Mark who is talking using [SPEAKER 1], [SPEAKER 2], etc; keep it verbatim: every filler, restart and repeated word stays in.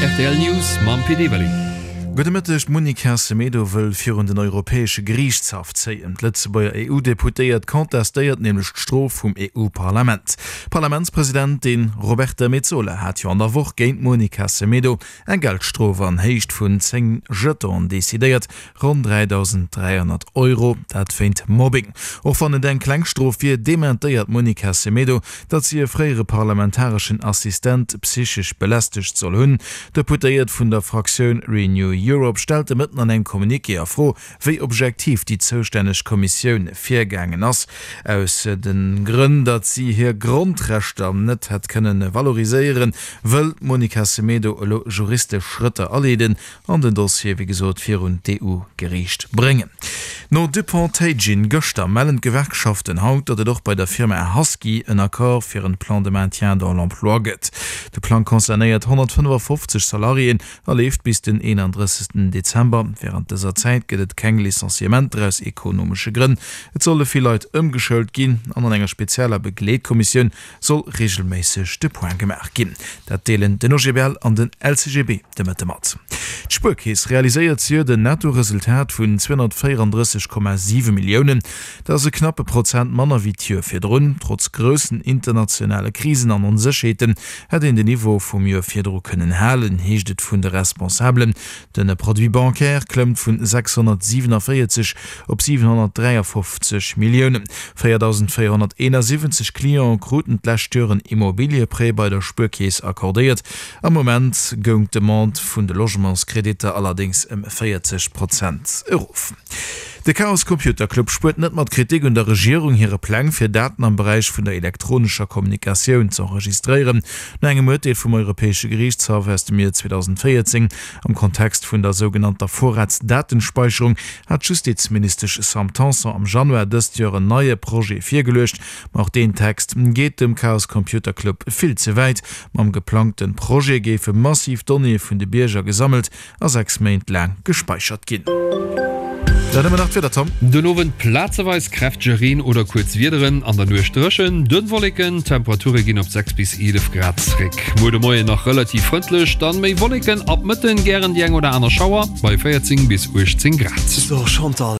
[SPEAKER 1] Rtl News mam Pit Everling.
[SPEAKER 2] Gudde Mëtteg, D'Monica Semedo wëll virun den Europäesche Geriichtshaff zéien. D'Lëtzebuerger EU-Deputéiert contestéiert nämlech d'Strof vum EU-Parlament. D'Parlamentspresidentin Roberta Metsola hat jo an der Woch géint d'Monica Semedo eng Geldstrof an Héicht vun zéng Jetonen decidéiert, ronn dräidausend dräihonnert Euro, dat wéint Mobbing. Och wann et eng kleng Strof wier, dementéiert d'Monica Semedo, datt si e fréiere parlamentareschen Assistent psychesch belästegt soll hunn. D'Deputéiert vun der Fraktioun Renew Europe stellt de Mëtten an engem Communiqué a Fro, wéi objektiv déi zoustänneg Kommissioun virgaangen ass. Aus de Grënn, datt si hir Grondrechter net hätt kënne valoriséieren, wëll d'Monica Semedo elo juristesch Schrëtter aleeden an den Dossier wéi gesot virun d'EU-Geriicht bréngen. No Dupont-Teijin gëschter mellen d'Gewerkschaften haut, datt et och bei der Firma Husky en Accord fir en Plan de maintien dans l'emploi gëtt. De Plang concernéiert honnertfënnefafofzeg Salariéen a leeft bis den eenandrëssegsten Dezember. Wärend dëser Zäit gëtt et keng Licenciementer aus ekonomesche Grënn. Et solle vill Leit ëmgeschoult ginn an an enger spezieller Begleetkommissioun soll reegelméisseg de Point gemaach ginn. Dat deelen den O G B L an den L C G B de Mëtte mat. D'Spuerkeess realiséiert zejoert en Nettoresultat vun zweehonnertvéierandrësseg Komma siwe Milliounen. Dat ass e knappe Prozent manner wéi d'Joer virdrun. Trotz groussen internationale Krisen an Onsécherheeten hätt een den Niveau vum Joer virdru kënnen halen, heescht et vun de Responsabelen. De Produit bancaire klëmmt vun sechshonnertsiewenavéierzeg op siwenhonnertdräiafofzeg Milliounen. véierdausendvéierhonnerteenasiwwenzeg Clientë kruten d'lescht Joer en Immobilieprêt bei der Spuerkeess accordéiert. Am Moment goung d'Demande vun de Logementskreditter allerdéngs ëm véierzeg Prozent erof. De Chaos Computer Club spuert net mat Kritik un der Regierung hire Pläng, fir Daten am Beräich vun der elektronescher Kommunikatioun ze enregistréieren. No engem Urteel vum Europäesche Geriichtshaff aus dem Joer zweedausendvéierzéng am Kontext vun der sougenannter Vorratsdatenspeicherung hat d'Justizministesch Sam Tanson am Januar dëst Joer en neie Projet virgeluecht. Ma och deen Text geet dem Chaos Computer Club vill ze wäit. Mam geplangte Projet géife massiv Donnéeë vun de Bierger gesammelt a sechs Méint laang gespäichert ginn. Dann hu mer nach d'Wieder, Tom.
[SPEAKER 1] Den Owend plazeweis kräftege Reen oder kuerz Wiederen, an der Nuecht dréchen, dënn Wolleken. D'Temperature ginn op sechs bis eelef Grad zréck. Muer de Moien nach relativ frëndlech, dann méi Wolleken, ab Mëtten gären déi eng oder aner Schauer bei véierzéng bis uechtzéng Grad.
[SPEAKER 3] So Chantal.